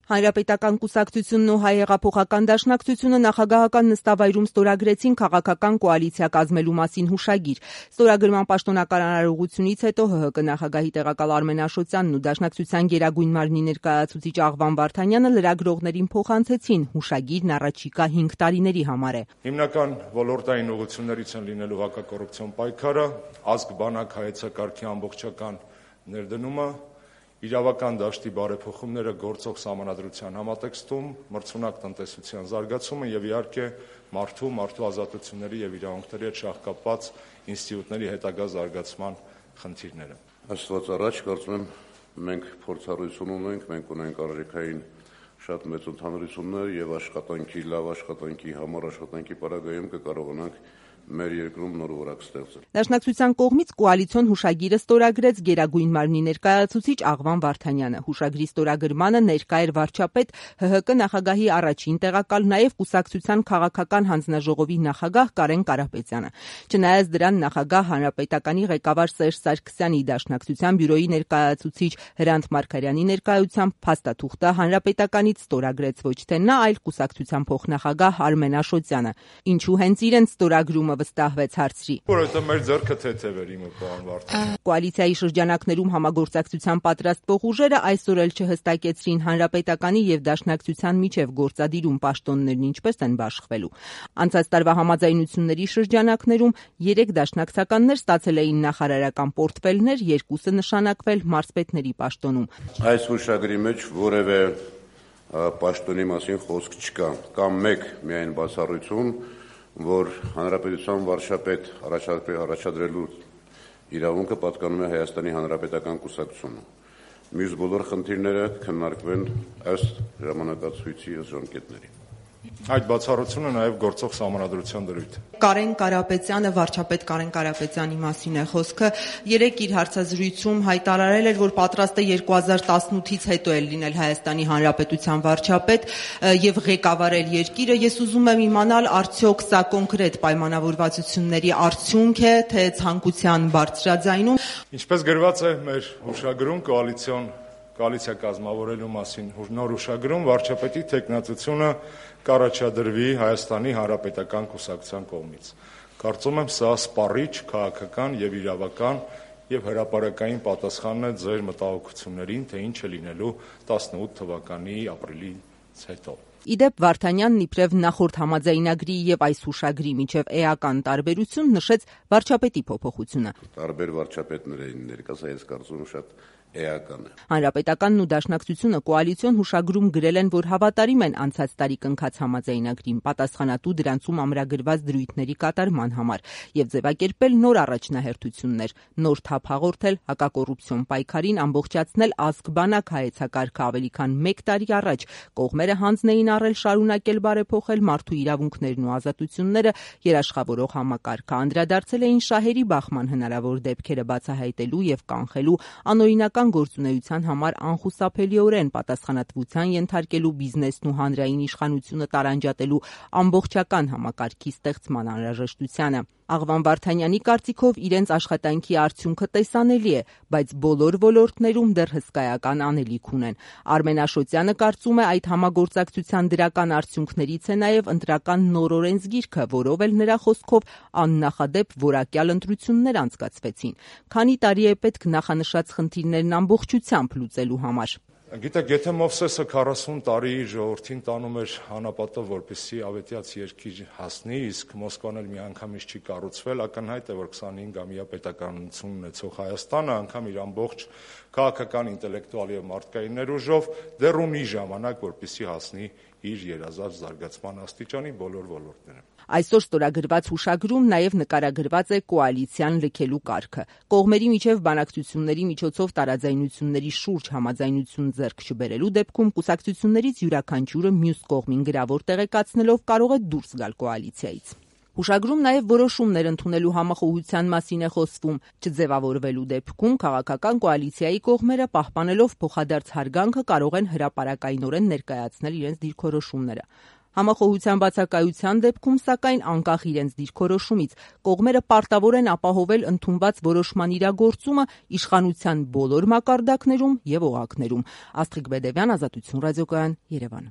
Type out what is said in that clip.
Հանրապետական կուսակցությունն ու Հայ հեղափոխական դաշնակցությունը նախագահական նստավայրում ստորագրեցին քաղաքական կոալիցիա կազմելու մասին հուշագիր։ Ստորագրման պաշտոնական արարողությունից հետո ՀՀԿ նախագահի տեղակալ Արմեն Աշոտյանն ու Դաշնակցության գերագույն մարմնի ներկայացուցիչ Աղվան Վարդանյանը լրագրողներին փոխանցեցին հուշագիրն առաջիկա 5 տարիների համար է։ Հիմնական ոլորտային ուղղություններից են լինելու հակակոռուպցիոն պայքարը, ազգ բանակ հայեցակարգի ամբողջական ներդնումը, իրավական դաշտի բարեփոխումները գործող սահմանադրության համատեքստում, մրցունակ տնտեսության զարգացումը եւ իհարկե մարդու ազատությունների եւ իրավունքների հետ շահկապված ինստիտուտների հետագա զարգացման խնդիրները։ Աստված առաջ, կարծում եմ, մենք փորձառություն ունենք, մենք ունենք արժեքային շատ մեծ ընդհանրություններ եւ լավ աշխատանքի համար աշխատանքի պարագայում կկարողանանք մեր երկրում նոր որակ ստեղծել։ Դաշնակցության կողմից կոալիցիոն հուշագիրը ստորագրեց գերագույն մարմնի ներկայացուցիչ Աղվան Վարդանյանը։ Հուշագրի ստորագրմանը ներկա էր վարչապետ, ՀՀԿ նախագահի առաջին տեղակալ, նաև կուսակցության քաղաքական հանձնաժողովի նախագահ Կարեն Կարապետյանը։ Չնայած դրան նախագահ հանրապետականի ղեկավար Սերժ Սարգսյանի, Դաշնակցության բյուրոյի ներկայացուցիչ Հրանտ Մարգարյանի ներկայությամբ փաստաթուղթը հանրապետականից ստորագրեց ոչ թե նա, այլ կուսակցության փոխնախագահ Արմեն Աշոտյանը։ Ինչու հենց իրենց ստորագրումը վստահվեց հարցրի։ Որովհետև մեր ձեռքը թեթև էր իմը պարոն Վարդանյան։ Կոալիցիայի շրջանակներում համագործակցության պատրաստվող ուժերը այսօր էլ չհստակեցրին հանրապետականի եւ Դաշնակցության միջև գործադիրում պաշտոններն ինչպես են բաշխվելու։ Անցած տարվա համաձայնությունների շրջանակներում 3 դաշնակցականներ ստացել էին նախարարական պորտֆելներ, 2-ը նշանակվել մարզպետների պաշտոնում։ Այս հուշագրի մեջ որևէ պաշտոնի մասին խոսք չկա, կամ մեկ միայն բացառություն, որ հանրապետության վարչապետ առաջադրելու իրավունքը պատկանում է Հայաստանի Հանրապետական կուսակցությունը։ Մյուս բոլոր խնդիրները քննարկվեն ըստ ժամանակացույցի ժամկետների։ Այդ բացառությունը նաև գործող սահմանադրության դրույթ է։ Կարեն Կարապետյանը, վարչապետ Կարեն Կարապետյանի մասին է խոսքը, երեկ իր հարցազրույցում հայտարարել էր, որ պատրաստ է 2018-ից հետո էլ լինել Հայաստանի Հանրապետության վարչապետ եւ ղեկավարել երկիրը։ Ես ուզում եմ իմանալ, արդյոք սա կոնկրետ պայմանավորվածությունների արդյունք է, թե ցանկության բարձրաձայնում։ Ինչպես գրված է մեր հուշագրում կոալիցիա կազմավորելու մասին նոր հուշագրում, վարչապետի թեկնածությունը կառաջադրվի Հայաստանի Հանրապետական կուսակցության կողմից։ Կարծում եմ, սա սպառիչ, քաղաքական եւ իրավական եւ հրապարակային պատասխանն է ձեր մտահոգություններին, թե ինչ է լինելու 18 թվականի ապրիլից հետո։ Իդեպ Վարդանյանն իբրև նախորդ համաձայնագրի եւ այս հուշագրի միջև էական տարբերություն նշեց վարչապետի փոփոխությունը։ Տարբեր վարչապետներ էին ներկայացած, ես կարծում եմ շատ էական է։ Հանրապետականն ու Դաշնակցությունը կոալիցիոն հուշագրում գրել են, որ հավատարիմ են անցած տարի կնքած համաձայնագրին, պատասխանատու դրանցում ամրագրված դրույթների կատարման համար եւ ձևակերպել նոր առաջնահերթություններ, նոր թափ հաղորդել հակակոռուպցիոն պայքարին, ամբողջացնել ազգ բանակ հայեցակարգը ավելի քան 1 տարի առաջ, կողմերը հանձն էին առել շարունակել բարեփոխել մարդու իրավունքներն ու ազատությունները, երաշխավորող համակարգը, անդրադարձել էին շահերի բախման հնարավոր դեպքերը բացահայտելու եւ կանխելու, անօրինական գործունեության համար անխուսափելիորեն պատասխանատվության ենթարկելու բիզնեսն ու հանրային իշխանությունը տարանջատելու ամբողջական համակարգի ստեղծման անհրաժեշտությանը։ Աղվան Վարդանյանի կարծիքով իրենց աշխատանքի արդյունքը տեսանելի է, բայց բոլոր ոլորտներում դեռ հսկայական անելիք ունեն։ Արմեն Աշոտյանը կարծում է, այդ համագործակցության դրական արդյունքներից է նաև ընտրական նոր օրենսգիրքը, որով էլ նրա խոսքով աննախադեպ որակյալ ընտրություններ անցկացվեցին։ Քանի տարի է պետք նախանշած խնդիրներն ամբողջությամբ լուծելու համար։ Գիտեք, եթե Մովսեսը 40 տարի իր ժողովրդին տանում էր անապատով, որպեսզի ավետյաց երկիր հասնի, իսկ Մոսկվան էլ միանգամից չի կառուցվել, ակնհայտ է, որ 25-ամյա պետականություն ունեցող Հայաստանը անգամ իր ամբողջ քաղաքական, ինտելեկտուալ եւ մարդկային ներուժով դեռ ունի ժամանակ, որպեսզի հասնի իր երազած զարգացման աստիճանի բոլոր ոլորտներում։ Այսօր ստորագրված հուշագրում նաև նկարագրված է կոալիցիան լքելու կարգը։ Կողմերի միջև բանակցությունների միջոցով տարաձայնությունների շուրջ համաձայնություն ձեռք չբերելու դեպքում կուսակցություններից յուրաքանչյուրը մյուս կողմին գրավոր տեղեկացնելով կարող է դուրս գալ կոալիցիայից։ Հուշագրում նաև որոշումներ ընդունելու համախոհության մասին է խոսվում։ Չձևավորվելու դեպքում քաղաքական կոալիցիայի կողմերը պահպանելով փոխադարձ հարգանքը կարող են հրապարակայնորեն ներկայացնել իրենց դիրքորոշումները։ Համախոհության բացակայության դեպքում, սակայն, անկախ իրենց դիրքորոշումից, կողմերը պարտավոր են ապահովել ընդունված որոշման իրագործումը իշխանության բոլոր մակարդակներում և օղակներում։ Աստղիկ Բեդևյան, Ազատություն ռադիոկայան, Երևան։